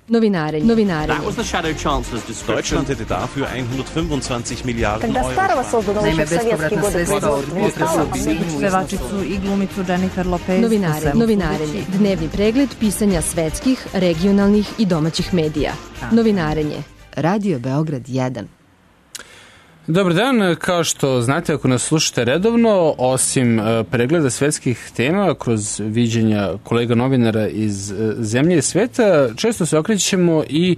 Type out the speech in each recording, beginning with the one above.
Novinarenje. That was the Shadow Chancellor's description. Deutschland hätte dafür 125 Miliarden Когда старого создано еще в советские годы производства не стало, Pevačicu i glumicu Jennifer Lopez. Novinarenje. Dnevni pregled pisanja svetskih, regionalnih i domaćih medija. Novinarenje. Radio Beograd 1. Dobar dan, kao što znate ako nas slušate redovno, osim pregleda svetskih tema kroz viđenja kolega novinara iz zemlje i sveta, često se okrećemo i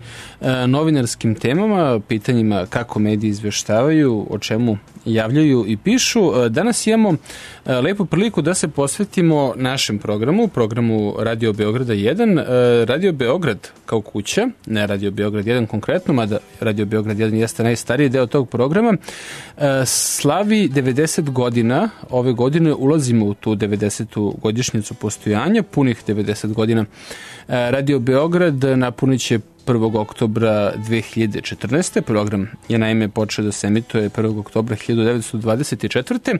novinarskim temama, pitanjima kako mediji izveštavaju, o čemu javljaju i pišu. Danas imamo lepu priliku da se posvetimo našem programu Radio Beograda 1. Radio Beograd kao kuća, ne Radio Beograd 1 konkretno, mada Radio Beograd 1 jeste najstariji deo tog programa, slavi 90 godina. Ove godine ulazimo u tu 90. godišnjicu postojanja, punih 90 godina. Radio Beograd napunit će 1. oktobra 2014. Program je naime počeo da se emituje 1. oktobra 1924.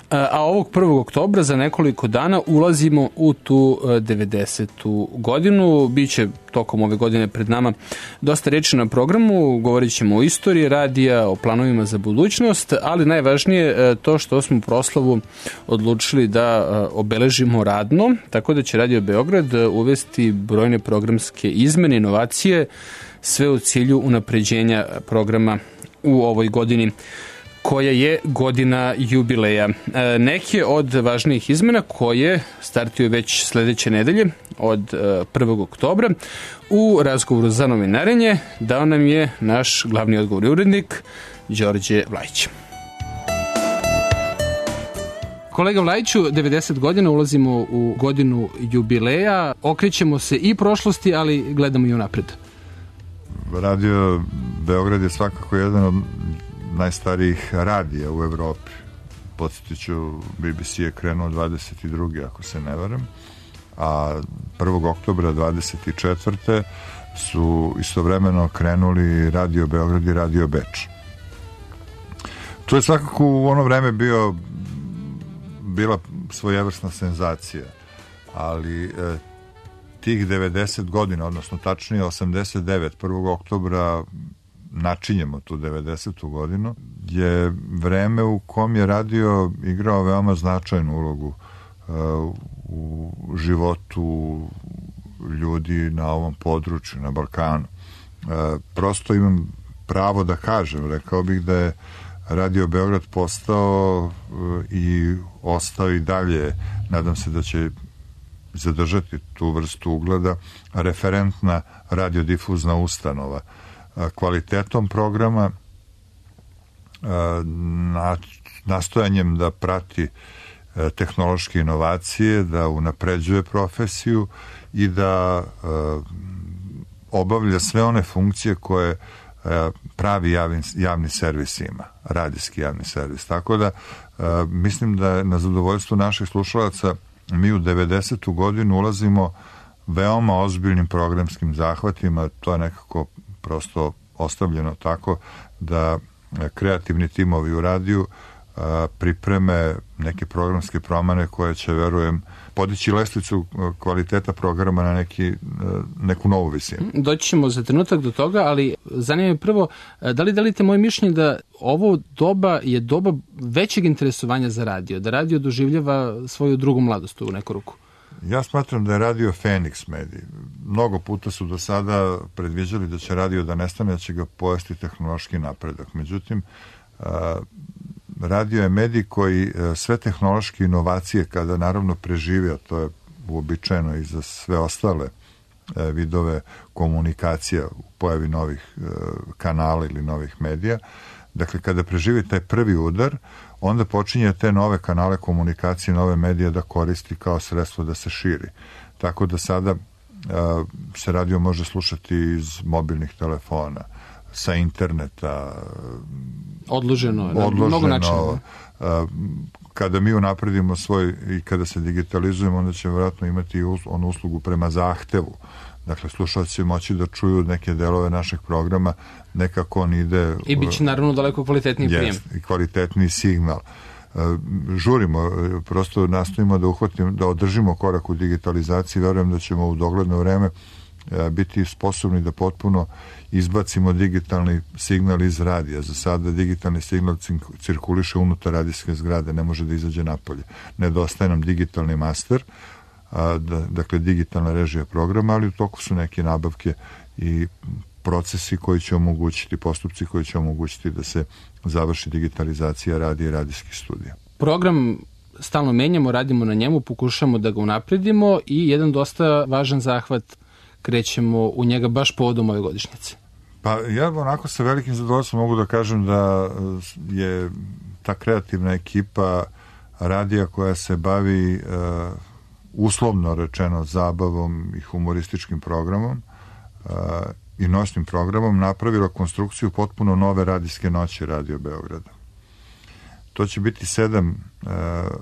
A ovog 1. oktobra za nekoliko dana ulazimo u tu 90. godinu. Biće tokom ove godine pred nama dosta reči na programu, govorit ćemo o istoriji radija, o planovima za budućnost, ali najvažnije to što smo proslavu odlučili da obeležimo radno, tako da će Radio Beograd uvesti brojne programske izmene, inovacije, sve u cilju unapređenja programa u ovoj godini koja je godina jubileja. Neke od važnijih izmena koje startuju već sledeće nedelje od 1. oktobra u razgovoru za novinarenje dao nam je naš glavni odgovorni urednik Đorđe Vlajić. Kolega Vlajiću, 90 godina, ulazimo u godinu jubileja, okrećemo se i prošlosti, ali gledamo i unapred. Radio Beograd je svakako jedan od najstarijih radija u Evropi. Podsjetit ću, BBC je krenuo 22. ako se ne varam, a 1. oktobra 24. su istovremeno krenuli Radio Beograd i Radio Beč. To je svakako u ono vreme bila svojevrsna senzacija, ali tih 90 godina, odnosno tačnije 89, 1. oktobra načinjemo tu 90. godinu, je vreme u kom je radio igrao veoma značajnu ulogu u životu ljudi na ovom području, na Balkanu. Prosto imam pravo da kažem, rekao bih da je Radio Beograd postao i ostao i dalje, nadam se da će zadržati tu vrstu ugleda, referentna radiodifuzna ustanova, kvalitetom programa, nastojanjem da prati tehnološke inovacije, da unapređuje profesiju i da obavlja sve one funkcije koje pravi javni servis ima, radijski javni servis. Tako da mislim da na zadovoljstvo naših slušalaca mi u 90. godinu ulazimo veoma ozbiljnim programskim zahvatima. To je nekako prosto ostavljeno tako da kreativni timovi u radiju pripreme neke programske promene koje će, verujem, podići lestvicu kvaliteta programa na neku novu visinu. Doći ćemo za trenutak do toga, ali zanima me prvo, da li delite moje mišljenje da ovo doba je doba većeg interesovanja za radio, da radio doživljava svoju drugu mladost u neku ruku? Ja smatram da je radio Feniks medij. Mnogo puta su do sada predviđali da će radio da nestane, da će ga pojesti tehnološki napredak. Međutim, radio je medij koji sve tehnološke inovacije, kada naravno preživi, a to je uobičajeno i za sve ostale vidove komunikacija u pojavi novih kanala ili novih medija, dakle kada preživi taj prvi udar, onda počinje te nove kanale komunikacije, nove medije da koristi kao sredstvo da se širi. Tako da sada se radio može slušati iz mobilnih telefona, sa interneta, odloženo, mnogo načina. Kada mi unapredimo svoj i kada se digitalizujemo, onda će vjerojatno imati onu uslugu prema zahtevu. Dakle, slušalci će moći da čuju neke delove našeg programa, nekako on ide... I bit će naravno daleko kvalitetniji prijem. I kvalitetniji signal. Žurimo, prosto nastojimo da održimo korak u digitalizaciji, verujem da ćemo u dogledno vreme biti sposobni da potpuno izbacimo digitalni signal iz radija. Za sada digitalni signal cirkuliše unutar radijske zgrade, ne može da izađe napolje. Nedostaje nam digitalni master, dakle digitalna režija programa, ali u toku su neke nabavke i procesi koji će omogućiti, postupci koji će omogućiti da se završi digitalizacija radija i radijskih studija. Program stalno menjamo, radimo na njemu, pokušamo da ga unapredimo i jedan dosta važan zahvat krećemo u njega baš povodom ove godišnjice. Pa ja onako sa velikim zadovoljstvom mogu da kažem da je ta kreativna ekipa radija koja se bavi uslovno rečeno zabavom i humorističkim programom i noćnim programom napravila konstrukciju potpuno nove radijske noći Radio Beograda. To će biti 7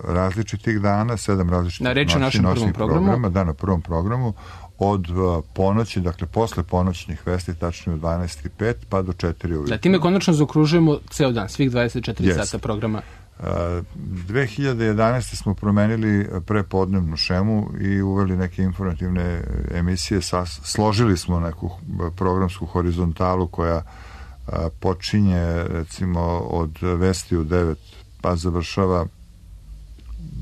različitih dana, 7 različitih noćnih programa. Da, na prvom programu od ponoći, dakle posle ponoćnih vesti, tačnije od 12:05 pa do 4 ujutru. Da, time konačno zaokružujemo ceo dan, svih 24 sata programa. 2011. smo promenili prepodnevnu šemu i uveli neke informativne emisije. Složili smo neku programsku horizontalu koja počinje recimo od vesti u 9 pa završava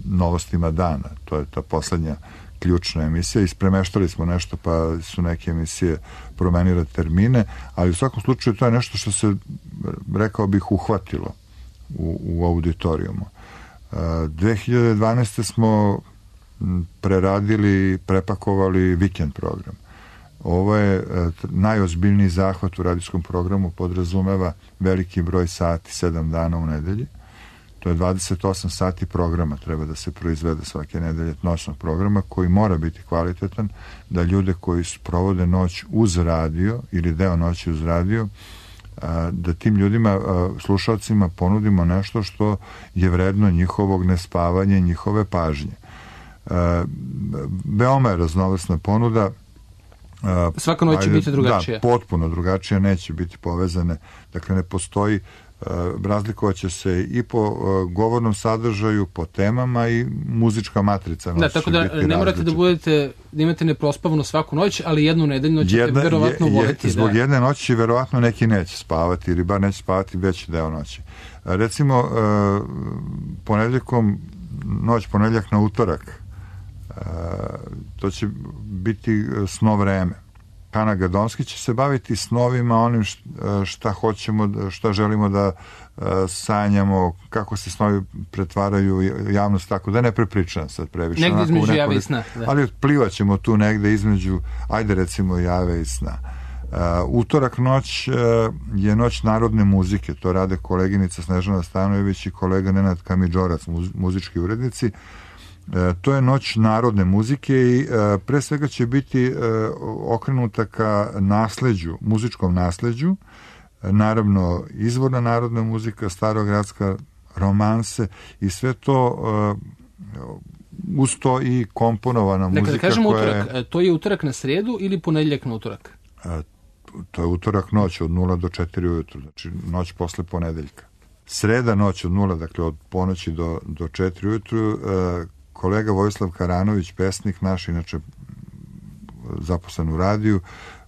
novostima dana. To je ta poslednja ključna emisija. Ispremeštali smo nešto pa su neke emisije promenile termine, ali u svakom slučaju to je nešto što se, rekao bih, uhvatilo u auditorijumu. 2012. smo preradili, prepakovali vikend program. Ovo je najozbiljniji zahvat u radijskom programu, podrazumeva veliki broj sati, 7 dana u nedelji. To je 28 sati programa treba da se proizvede svake nedelje, noćnog programa, koji mora biti kvalitetan, da ljude koji provode noć uz radio ili deo noći uz radio, da tim ljudima, slušalcima, ponudimo nešto što je vredno njihovog nespavanja i njihove pažnje. Veoma je raznovrsna ponuda. Svaka noć će biti drugačija. Da, potpuno drugačija, neće biti povezane. Dakle, ne postoji, razlikovaće se i po govornom sadržaju, po temama i muzička matrica. Da, tako da ne morate da imate neprospavano svaku noć, ali jednu nedeljno ćete verovatno voliti. Zbog jedne noći verovatno neki neće spavati, ili bar neće spavati veći deo noći. Recimo, noć ponedeljak na utorak, to će biti sno vreme. Hana Gadonski će se baviti snovima, onim šta hoćemo, šta želimo da sanjamo, kako se snovi pretvaraju javnost, tako da ne prepričam sad previše. Negde između jave i sna. Da. Ali plivat ćemo tu negde između, ajde recimo jave i sna. Utorak noć je noć narodne muzike, to rade koleginica Snežana Stanojević i kolega Nenad Kamidžorac, muzički urednici. To je noć narodne muzike i pre svega će biti okrenuta ka nasleđu, muzičkom nasleđu, naravno izvorna narodna muzika, starogradska, romanse i sve to uz to i komponovana muzika. Dakle, kažemo utorak, to je utorak na sredu ili ponedeljak na utorak? To je utorak noć od 0 do 4 ujutru, znači noć posle ponedeljka. Sreda noć od 0, dakle od ponoći do 4 ujutru, kolega Vojislav Karanović, pesnik naš, inače zaposlen u radiju,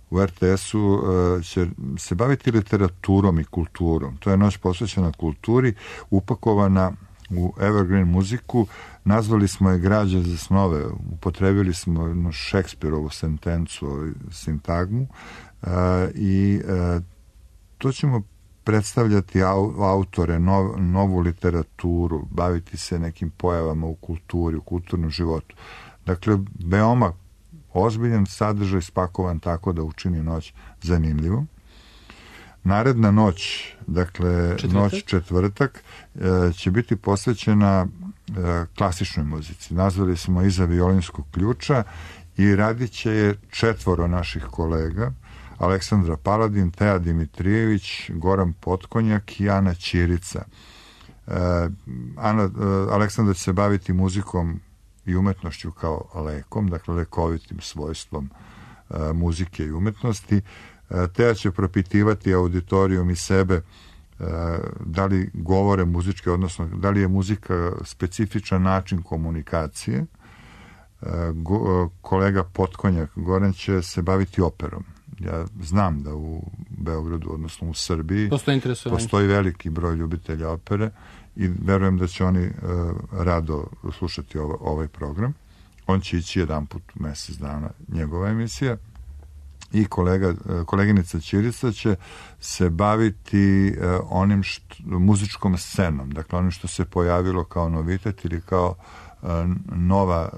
u RTS-u, će se baviti literaturom i kulturom. To je noć posvećena kulturi, upakovana u evergreen muziku. Nazvali smo je Građa za snove. Upotrebili smo jednu Šekspirovu sentencu, sintagmu, i to ćemo predstavljati autore, novu literaturu, baviti se nekim pojavama u kulturi, u kulturnom životu. Dakle, veoma ozbiljan sadržaj, spakovan tako da učini noć zanimljivom. Naredna noć, dakle noć četvrtak, će biti posvećena klasičnoj muzici. Nazvali smo Iza violinskog ključa i radit će je 4 naših kolega: Aleksandra Paladin, Teja Dimitrijević, Goran Potkonjak i Ana Ćirica. Aleksandra će se baviti muzikom i umetnošću kao lekom, dakle lekovitim svojstvom muzike i umetnosti. Teja će propitivati auditorijum i sebe da li govore muzičke, odnosno da li je muzika specifičan način komunikacije. Kolega Potkonjak Goran će se baviti operom. Ja znam da u Beogradu, odnosno u Srbiji, postoji veliki broj ljubitelja opere i verujem da će oni rado slušati ovaj program. On će ići jedan put u mesec dana, njegova emisija. I koleginica Ćirica će se baviti onim muzičkom scenom, dakle onim što se pojavilo kao novitet ili kao nova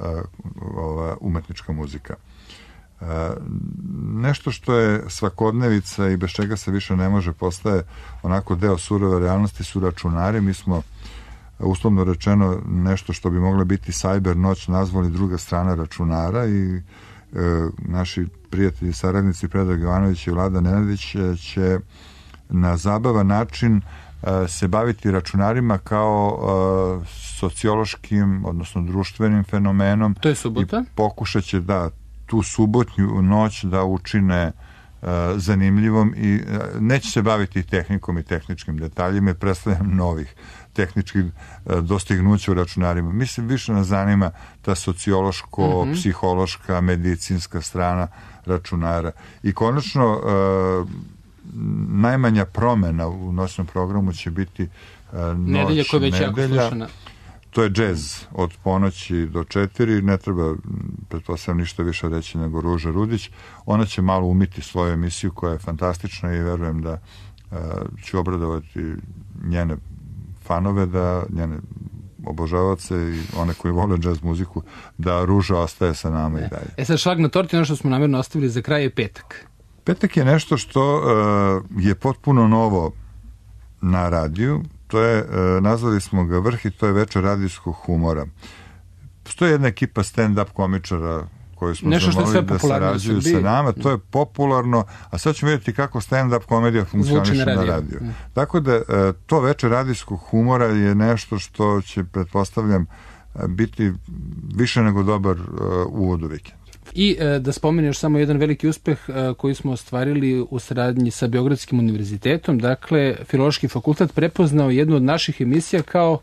umetnička muzika. Nešto što je svakodnevica i bez čega se više ne može, postaje onako deo surove realnosti, su računari. Mi smo uslovno rečeno nešto što bi mogla biti cyber noć nazvali druga strana računara i naši prijatelji i saradnici Predrag Jovanović i Vlada Nenadić će na zabavan način se baviti računarima kao sociološkim, odnosno društvenim fenomenom. To je subota? I pokušat će tu subotnju noć da učine zanimljivom i neće se baviti tehnikom i tehničkim detaljima i predstavljam novih tehničkih dostignuća u računarima. Mislim, više nas zanima ta sociološko, psihološka, medicinska strana računara. I konačno, najmanja promena u noćnom programu će biti nedelja koja već jako slušana. To je džez od ponoći do 4, ne treba, pretpostavljam, ništa više reći nego Ruža Rudić. Ona će malo umiti svoju emisiju koja je fantastična i verujem da ću obradovati njene fanove, da njene obožavaoce i one koji vole džez muziku, da Ruža ostaje sa nama i dalje. Sad šlag na torti, ono što smo namjerno ostavili za kraj je petak. Petak je nešto što je potpuno novo na radiju. To je, nazvali smo ga Vrh i to je večer radijskog humora. Postoji jedna ekipa stand-up komičara koji smo zamolili da sarađuju sa nama. To je popularno, a sad ćemo vidjeti kako stand-up komedija funkcioniše na radiju. Tako da to večer radijskog humora je nešto što će, pretpostavljam, biti više nego dobar uvod u vikend. I da spomeneš samo jedan veliki uspeh koji smo ostvarili u saradnji sa Beogradskim univerzitetom. Dakle, Filološki fakultet prepoznao jednu od naših emisija kao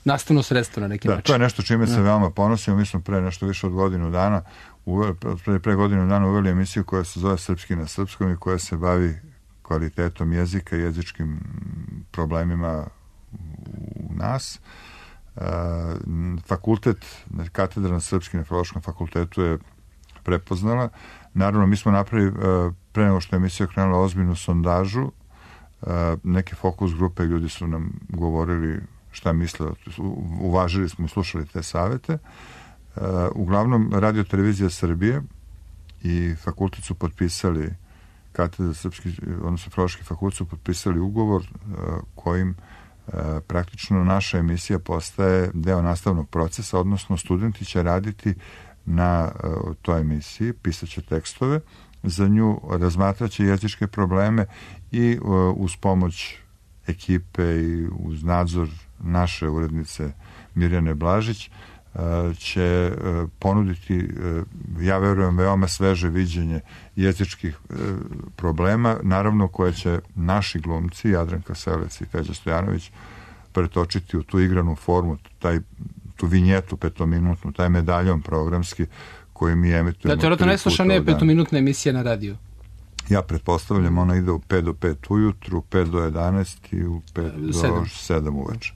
nastavno sredstvo na neki način. To je nešto čime se veoma ponosimo. Mi smo pre nešto više od godinu dana uveli emisiju koja se zove Srpski na srpskom i koja se bavi kvalitetom jezika, jezičkim problemima u nas. Fakultet, katedra na Srpskim na Filološkom fakultetu je prepoznala. Naravno, mi smo napravili, pre nego što je emisija krenula, ozbiljnu sondažu. Neke fokus grupe ljudi su nam govorili šta misle, uvažili smo i slušali te savete. Uglavnom, Radio Televizija Srbije i fakultet su potpisali, katedra Srpski, odnosno Filološki fakultet su potpisali ugovor kojim praktično naša emisija postaje deo nastavnog procesa, odnosno studenti će raditi na toj emisiji, pisaće tekstove, za nju razmatraće jezičke probleme i uz pomoć ekipe i uz nadzor naše urednice Mirjane Blažić će ponuditi, ja verujem, veoma sveže viđenje jezičkih problema, naravno koje će naši glumci, Jadranka Selec i Feđa Stojanović, pretočiti u tu igranu formu, tu vinjetu petominutnu, taj medaljon programski koji mi emitujemo. To je to najslušanija petominutna emisija na radiju. Ja pretpostavljam, ona ide u 5 do 5 ujutru, 5 do 11 i u 5 do 7 uveče.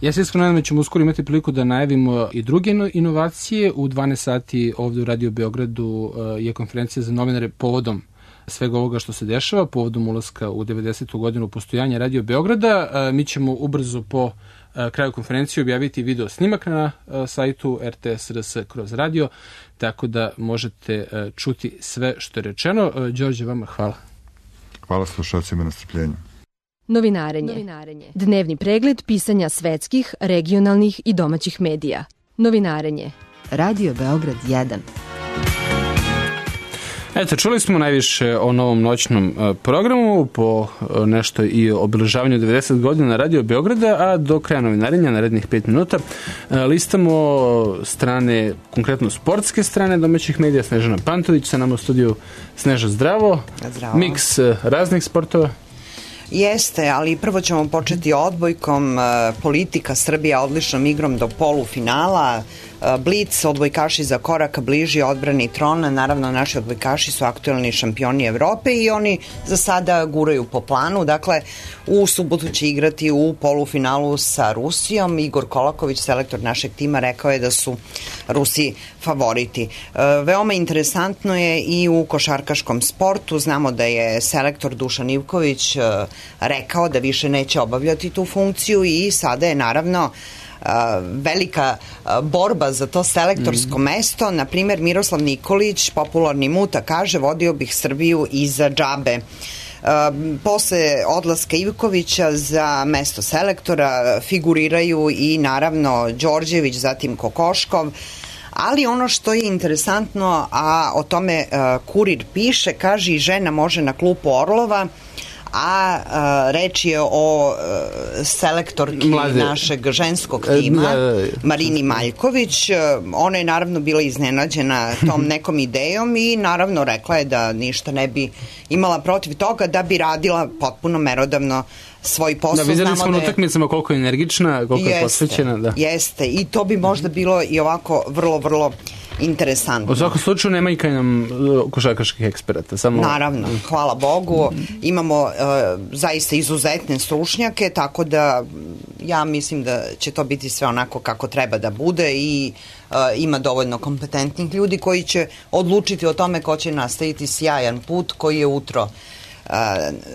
Ja se iskreno nadam da ćemo uskoro imati priliku da najavimo i druge inovacije. U 12 sati ovdje u Radio Beogradu je konferencija za novinare povodom svega ovoga što se dešava, povodom ulaska u 90. godinu postojanja Radio Beograda. Mi ćemo ubrzo po kraju konferencije objaviti video snimak na sajtu RTS.rs kroz radio, tako da možete čuti sve što je rečeno. Đorđe, vama hvala. Hvala slušalcima na strpljenju. Novinarenje. Dnevni pregled pisanja svetskih, regionalnih i domaćih medija. Novinarenje. Radio Beograd 1. Eto, čuli smo najviše o novom noćnom programu, po nešto i o obeležavanju 90 godina Radio Beograda, a do kraja novinarenja, narednih 5 minuta, listamo strane, konkretno sportske strane domaćih medija. Snežana Pantović sa nama u studiju. Sneža, zdravo. Zdravo. Miks raznih sportova. Jeste, ali prvo ćemo početi odbojkom. Politika Srbija odličnom igrom do polufinala. Blic, odbojkaši za korak bliži odbrani trona. Naravno, naši odbojkaši su aktuelni šampioni Evrope i oni za sada guraju po planu. Dakle, u subotu će igrati u polufinalu sa Rusijom. Igor Kolaković, selektor našeg tima, rekao je da su Rusi favoriti. Veoma interesantno je i u košarkaškom sportu. Znamo da je selektor Dušan Ivković rekao da više neće obavljati tu funkciju i sada je naravno velika borba za to selektorsko mesto. Na primjer, Miroslav Nikolić, popularni muta, kaže: vodio bih Srbiju iza džabe. Posle odlaska Ivkovića za mesto selektora figuriraju i naravno Đorđević, zatim Kokoškov, ali ono što je interesantno, a o tome Kurir piše, kaže: i žena može na klupu Orlova, a reč je o selektorki našeg ženskog tima, Marini Maljković. Ona je naravno bila iznenađena tom nekom idejom i naravno rekla je da ništa ne bi imala protiv toga, da bi radila potpuno merodavno svoj posao. Da, vidjeli smo na utakmicama koliko je energična, koliko je posvećena. Da. Jeste, i to bi možda bilo i ovako vrlo, vrlo interesantno. U svakom slučaju nema i kaj nam košarkaških eksperata. Samo... Naravno, hvala Bogu. Imamo zaista izuzetne stručnjake, tako da ja mislim da će to biti sve onako kako treba da bude i ima dovoljno kompetentnih ljudi koji će odlučiti o tome ko će nastaviti sjajan put koji je utro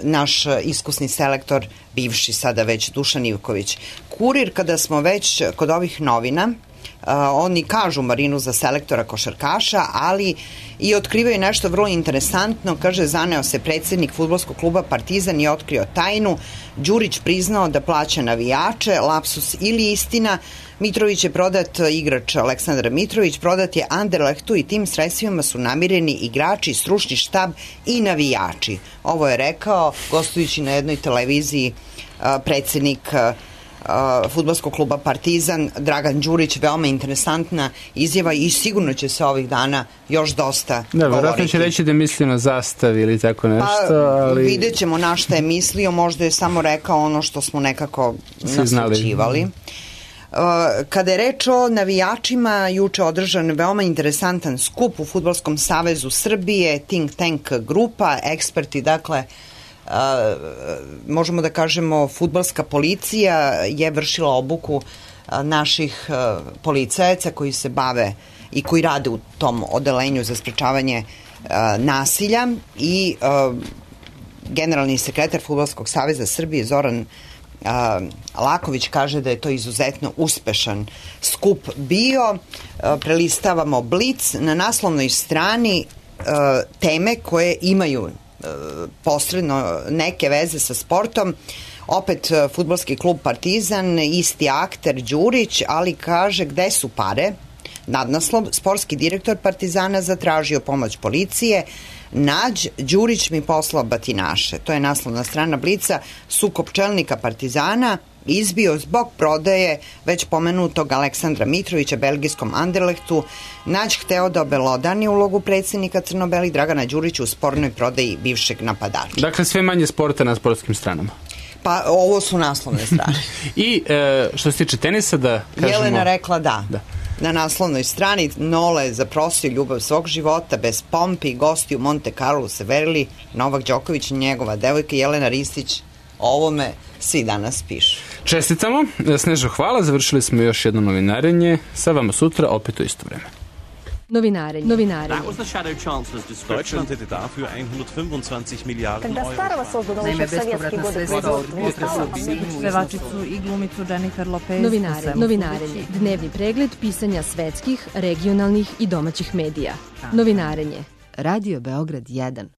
naš iskusni selektor, bivši sada već Dušan Ivković. Kurir, kada smo već kod ovih novina, oni kažu Marinu za selektora košarkaša, ali i otkrivaju nešto vrlo interesantno. Kaže: zaneo se predsjednik fudbalskog kluba Partizan i otkrio tajnu. Đurić priznao da plaća navijače, lapsus ili istina. Mitrović je prodat, igrač Aleksandar Mitrović prodat je Anderlechtu i tim sredstvima su namireni igrači, stručni štab i navijači. Ovo je rekao gostujući na jednoj televiziji predsjednik fudbalskog kluba Partizan, Dragan Đurić. Veoma interesantna izjava i sigurno će se ovih dana još dosta govoriti. Da, vjerojatno će reći da je mislio na zastav ili tako nešto, ali... Vidjet ćemo na šta je mislio, možda je samo rekao ono što smo nekako naslučivali. Kada je reč o navijačima, juče održan veoma interesantan skup u Fudbalskom savezu Srbije, Think Tank grupa, eksperti, dakle, možemo da kažemo fudbalska policija je vršila obuku naših policajaca koji se bave i koji rade u tom odelenju za sprečavanje nasilja i generalni sekretar Fudbalskog saveza Srbije Zoran Laković kaže da je to izuzetno uspešan skup bio. Prelistavamo Blic, na naslovnoj strani teme koje imaju posredno neke veze sa sportom. Opet fudbalski klub Partizan, isti akter Đurić, ali kaže: gde su pare? Nadnaslov: sportski direktor Partizana zatražio pomoć policije. Nađ, Đurić mi poslao batinaše. To je naslovna strana Blica. Sukob čelnika Partizana izbio zbog prodaje već pomenutog Aleksandra Mitrovića belgijskom Anderlechtu. Nađ hteo da obelodani ulogu predsjednika Crno-Beli Dragana Đurića u spornoj prodaji bivšeg napadača. Dakle, sve manje sporta na sportskim stranama. Pa ovo su naslovne strane. I što se tiče tenisa, da kažemo... Jelena rekla da. Na naslovnoj strani: Nole zaprosio ljubav svog života bez pompi, gosti u Monte Carlo se verili, Novak Đoković i njegova devojka Jelena Ristić. O ovome svi danas pišu. Čestitamo, Snežo, hvala, završili smo još jedno novinarenje, sa vama sutra opet u isto vreme. Novinarenje. That was the Shadow Chancellor's description. Deutschland hätte dafür 125 Milliarden Когда старого создано еще в советские годы. Pevačicu i glumicu Jennifer Lopez. Novinarenje. Dnevni pregled pisanja svetskih, regionalnih i domaćih medija. Novinarenje. Radio Beograd 1.